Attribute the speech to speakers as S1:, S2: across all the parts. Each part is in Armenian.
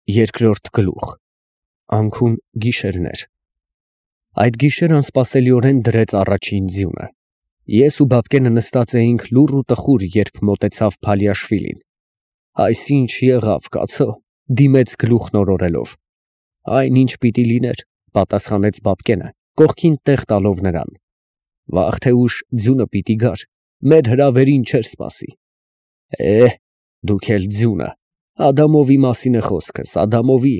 S1: Երկրորդ գլուխ Անքուն գիշերներ։ Այդ գիշեր անսպասելիորեն դրեց առաջին ձյունը։ Ես ու Բաբկենը նստած էինք լուռ ու տխուր, երբ մոտեցավ Փալիաշվիլին։ Այսինչ եղավ, կացո, դիմեց գլուխն օրորելով։ Այնինչ պիտի լիներ, պատասխանեց Բաբկենը, կողքին տեղ տալով նրան։ Վաղ թե ուշ ձյունը պիտի գար, մեր հրավերին չէր սպասի։ Դուք էլ ձյունը, Ադամովի մասին է խոսքս, Ադամովի,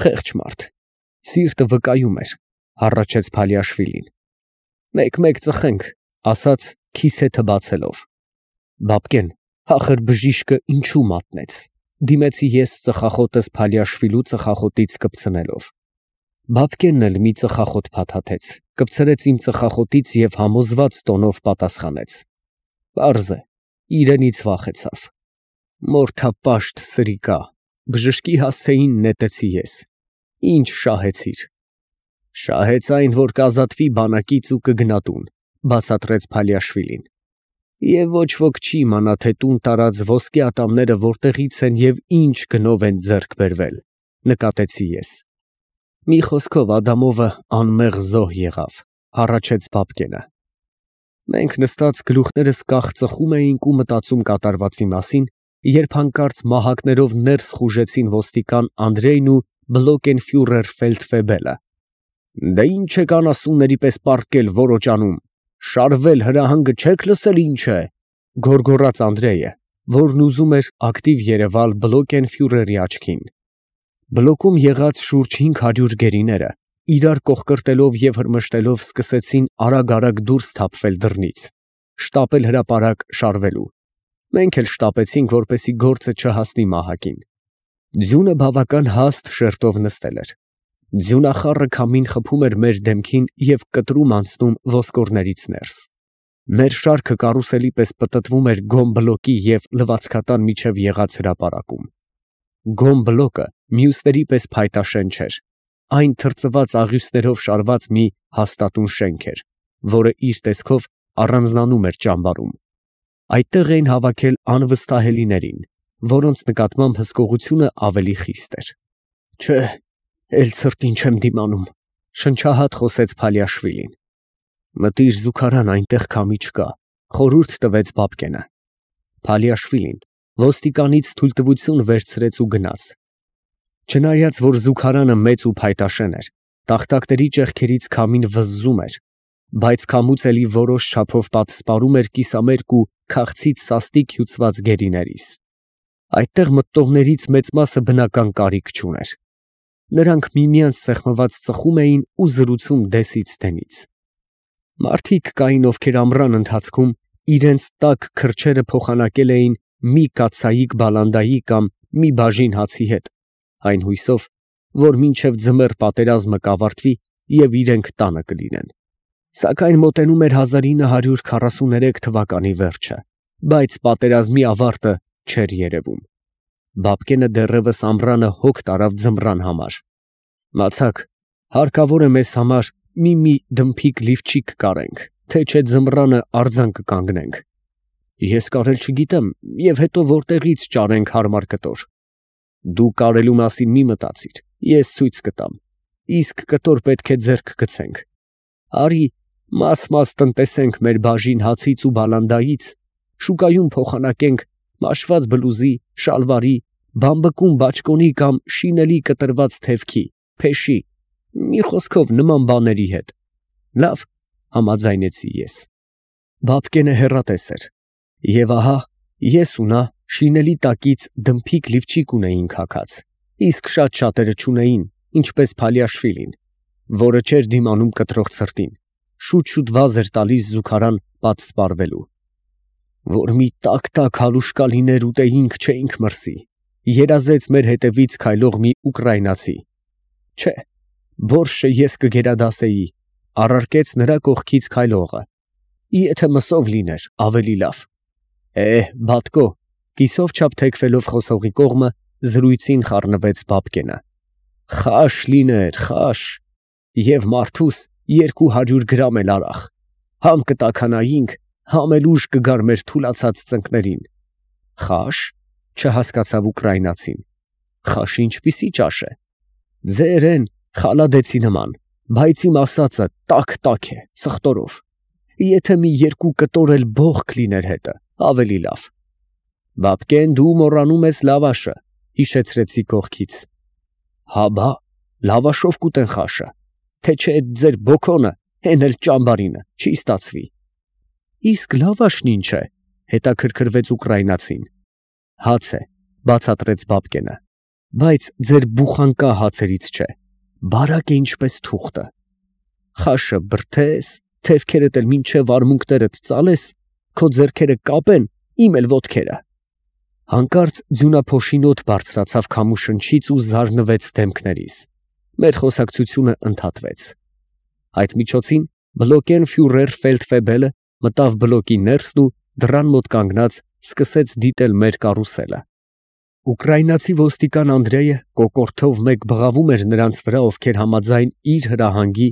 S1: խեղճ մարդ, սիրտը վկայում էր, հառաչեց Փալիաշվիլին։ Մեկ-մեկ ծխենք, ասաց քիսեթը բացելով։ Բաբկեն, ախր բժիշկը ինչու մատնեց, դիմեցի ես ծխախոտս Փալիաշվիլու ծխախոտից կպցնելով։ Բաբկենն էլ մի ծխախոտ փաթաթեց, կպցրեց իմ ծխախոտից և համոզված տոնով պատասխանեց. Պարզ է, իրենից վախեցավ։ Մորթապաշտ սրիկա, բժշկի հասցեին նետեցի ես։ Ինչ շահեցիր։ Շահեց այն, որ կազատվի բանակից ու կգնա տուն, բացատրեց Փալիաշվիլին։ Եվ ոչ ոք չի իմանա, թե տուն տարած ոսկե ատամները որտեղից են և ինչ գնով են ձեռք բերվել, նկատեցի ես։ Մի խոսքով Ադամովը անմեղ զոհ եղավ, հառաչեց Բաբկենը։ Մենք նստած գլուխներս կախ ծխում էինք ու մտածում կատարվածի մասին, երբ հանկարծ մահակներով ներս խուժեցին ոստիկան Անդրեյն ու բլոկենֆյուրեր Ֆելդֆեբելը։ Դե ինչ եք անասունների պես պառկել որոճանում, շարվել հրահանգը չեք լսել ինչ է, գոռգոռաց Անդրեյը, որն ուզում էր ակտիվ երևալ բլոկենֆյուրերի աչքին։ Բլոկում եղած շուրջ 500 գերիները իրար կողկրտելով և հրմշտելով սկսեցին արագ դուրս թափվել դռնից, շտապել հրապարակ շարվելու։ Մենք էլ շտապեցինք, որպեսզի գործը չհասնի մահակին։ Ձյունը բավական հաստ շերտով նստել էր։ Ձյունախառը քամին խփում էր մեր դեմքին և կտրում անցնում ոսկորներից ներս։ Մեր շարքը կարուսելի պես պտտվում էր գոմ բլոկի և լվացքատան միջև եղած հրապարակում։ Գոմ բլոկը մյուսների պես փայտաշեն չէր։ Այն թրծված աղյուսներով շարված մի հաստատուն շենք էր, որը իր տեսքով առանձնանում էր ճամբարում։ Այդտեղ էին հավաքել անվստահելիներին, որոնց նկատմամբ հսկողությունը ավելի խիստ էր։ Չէ, էլ ցրտին չեմ դիմանում, շնչահատ խոսեց Փալիաշվիլին։ Մտիր զուգարան, այնտեղ քամի չկա, խորհուրդ տվեց Բաբկենը։ Փալիաշվիլին ոստիկանից թույլտվություն վերցրեց ու գնաց։ Չնայած որ զուգարանը մեծ ու փայտաշեն էր, տախտակների ճեղքերից քամին վզզում էր, բայց քամուց էլի որոշ չափով պատսպարում էր կիսամերկ ու քաղցից սաստիկ հյուծված գերիներիս։ Այդտեղ մտնողներից մեծ մասը բնական կարիք չուներ։ Նրանք միմյանց սեղմված ծխում էին ու զրուցում դեսից դենից։ Մարդիկ կային, ովքեր ամռան ընթացքում իրենց տաք քրչերը փոխանակել էին մի կաթսայիկ բալանդայի կամ մի բաժին հացի հետ, այն հույսով, որ մինչև ձմեռ պատերազմը կավարտվի և իրենք տանը կլինեն։ Սակայն մոտենում էր 1943 թվականի վերջը, բայց պատերազմի ավարտը չէր երևում։ Բաբկենը դեռևս ամռանը հոգ տարավ ձմռան համար։ Մացակ, հարկավոր է մեզ համար մի դմփիկ լիվչիկ կարենք, թե չէ ձմռանը արձան կկանգնենք։ Ես կարել չգիտեմ, և հետո որտեղից ճարենք հարմար կտոր։ Դու կարելու մասին մի մտածիր, ես ցույց կտամ, իսկ կտոր պետք է ձեռք գցենք։ Արի մաս տնտեսենք մեր բաժին հացից ու բալանդայից, շուկայում փոխանակենք մաշված բլուզի, շալվարի, բամբկուն բաճկոնի կամ շինելի կտրված թևքի, փեշի, մի խոսքով նման բաների հետ։ Լավ, համաձայնեցի ես։ Բաբկենը հեռատես էր, և ահա ես ու նա շինելի տակից դմփիկ լիվչիկ ունեինք հագած, իսկ շատերը չունեին, ինչպես Փալիաշվիլին, որը չէր դիմանում կտրող ցրտին, շուտ վազ էր տալիս զուգարան պատսպարվելու։ Որ մի տաք հալուշկա լիներ ուտեինք չէինք մրսի, երազեց մեր հետևից քայլող մի ուկրաինացի։ Չէ, բորշչը ես կգերադասեի, առարկեց նրա կողքից քայլողը։ Եթե մսով լիներ, ավելի լավ։ Բատկո, կիսով չափ թեքվելով խոսողի կողմը զրույցին խառնվեց Բաբկենը։ Խաշ լիներ, խաշ, և մարդուս 200 գրամ էլ արախ, համ կտաքանայինք, համ էլ ուժ կգար մեր թուլացած ծնկներին։ Խաշ, չհասկացավ ուկրաինացին։ Խաշը ինչպիսի ճաշ է։ Ձերեն խալադեցի նման, բայց իմ ասածը տաք է, սխտորով։ Եթե մի երկու կտոր էլ բողոք լիներ հետը, ավելի լավ։ Բաբկեն, դու մոռանում ես լավաշը, հիշեցրեցի կողքից։ Հա բա, լավաշով կուտեն խաշը, թե չէ այդ ձեր բոքոնը, հեն էլ ճամբարինը, չի ստացվի։ Իսկ լավաշն ինչ է, հետաքրքրվեց ուկրաինացին։ Հաց է, բացատրեց Բաբկենը, բայց ձեր բուխանկա հացերից չէ, բարակ է ինչպես թուղթը։ Խաշը բրդես, թևքերդ էլ մինչև արմունկներդ ծալես, քո ձեռքերը կապեն, իմ էլ ոտքերը։ Հանկարծ ձյունափոշին օդ բարձրացավ քամուշնչից ու զարնվեց դեմքներիս։ Մեր խոսակցությունը ընդհատվեց։ Այդ միջոցին բլոկեն ֆյուրեր ֆելդֆեբելը մտավ բլոկի ներսն ու դռան մոտ կանգնած սկսեց դիտել մեր կարուսելը։ Ուկրաինացի ոստիկան Անդրեյը կոկորդով մեկ բղավում էր նրանց վրա, ովքեր համաձայն իր հրահանգի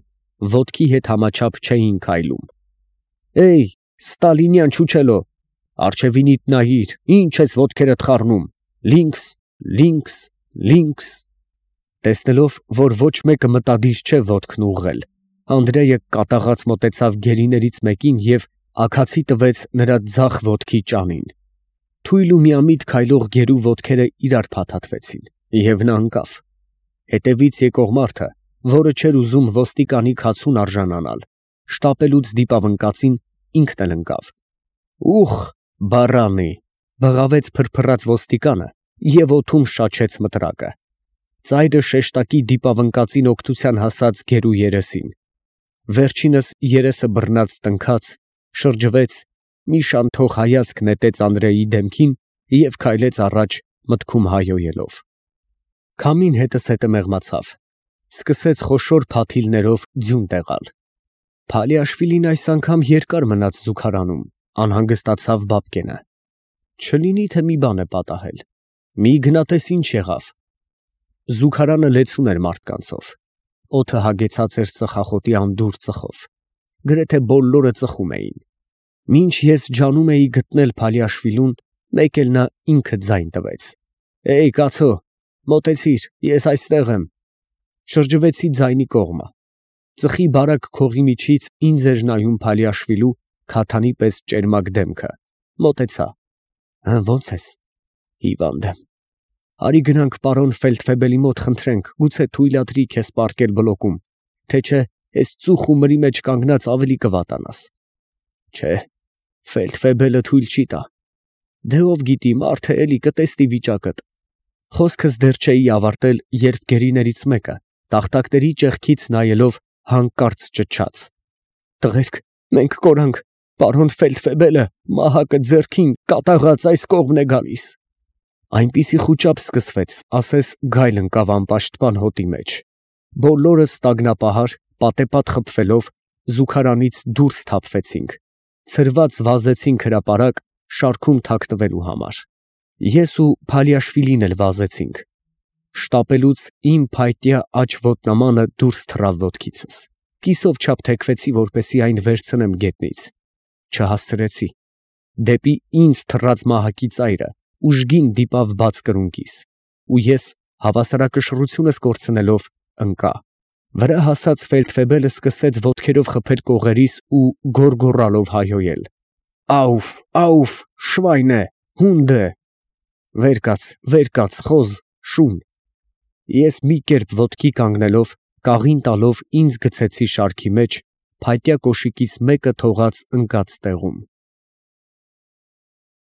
S1: ոտքի հետ համաչափ չէին քայլում։ Էյ, Ստալինյան չուչելո, արջևինիդ նայիր, ինչ ես ոտքերդ խառնում, լինքս։ Տեսնելով, որ ոչ մեկը մտադիր չէ ոտքն ուղղել, Անդրեյը կատաղած մոտեցավ գերիներից մեկին և աքացի տվեց նրա ձախ ոտքի ճանին։ Թույլ ու միամիտ քայլող գերու ոտքերը իրար փաթաթվեցին, և նա ընկավ։ Հետևից եկող մարդը, որը չէր ուզում ոստիկանի քացուն արժանանալ, շտապելուց դիպավ ընկածին, ինքն էլ ընկավ։ Ուխ, բարանի, բղավեց փրփռած ոստիկանը և օդում շաչեց մտրակը։ Ծայրը շեշտակի դիպավ ընկածին օգնության հասած գերու երեսին։ Վերջինս երեսը բռնած տնքաց, շրջվեց, մի շանթող հայացք նետեց Անդրեյի դեմքին և քայլեց առաջ մտքում հայհոյելով։ Քամին հետզհետե մեղմացավ, սկսեց խոշոր փաթիլներով ձյուն տեղալ։ Փալիաշվիլին այս անգամ երկար մնաց զուգարանում, անհանգստացավ Բաբկենը։ Չլինի թե մի բան է պատահել, մի գնատես ինչ եղավ։ Զուգարանը լեցուն էր մարդկանցով, օդը հագեցած էր ծխախոտի անդուր ծխով, գրեթե բոլորը ծխում էին։ Մինչ ես ջանում էի գտնել Փալիաշվիլուն, մեկ էլ նա ինքը ձայն տվեց. «Էյ, կացո, մոտեցիր, ես այստեղ եմ»։ Շրջվեցի ձայնի կողմը։ Ծխի բարակ քողի միջից ինձ էր նայում Փալիաշվիլու քաթանի պես ճերմակ դեմքը։ Մոտեցա։ Ո՞նց ես։ Հիվանդ եմ։ Արի գնանք պարոն ֆելդֆեբելի մոտ խնդրենք, գուցե թույլատրի քեզ պառկել բլոկում, թե չէ այս ծուխ ու մրի մեջ կանգնած ավելի կվատանաս։ Չէ, ֆելդֆեբելը թույլ չի տա։ Դե ով գիտի, մարդը էլի կտեսնի վիճակդ։ Խոսքս դեռ չէի ավարտել, երբ գերիներից մեկը, տախտակների ճեղքից նայելով, հանկարծ ճչաց. Տղերք, մենք կորանք, պարոն ֆելդֆեբելը մահակը ձեռքին կատաղած այս կողմն է գալիս։ Այնպիսի խուճապ սկսվեց, ասես գայլ ընկավ անպաշտպան հոտի մեջ։ Բոլորս տագնապահար, պատեպատ խփվելով, զուգարանից դուրս թափվեցինք, ցրված վազեցինք հրապարակ, շարքում թաքնվելու համար։ Ես ու Փալիաշվիլին էլ վազեցինք։ Շտապելուց իմ փայտյա աջ ոտնամանը դուրս թռավ ոտքիցս։ Կիսով չափ թեքվեցի, որպեսզի այն վերցնեմ գետնից։ Չհասցրեցի։ Դեպի ինձ թռած մահակի ծայրը ուժգին դիպավ բաց կրունկիս, ու ես, հավասարակշռությունս կորցնելով, ընկա։ Վրա հասած ֆելդֆեբելը սկսեց ոտքերով խփել կողերիս ու գոռգոռալով հայհոյել. Աուֆ, շվայնե, հունդե։ Վեր կաց, խոզ, շուն։ Ես մի կերպ ոտքի կանգնելով, կաղին տալով ինձ գցեցի շարքի մեջ, փայտյա կոշիկիս մեկը թողած ընկած տեղում։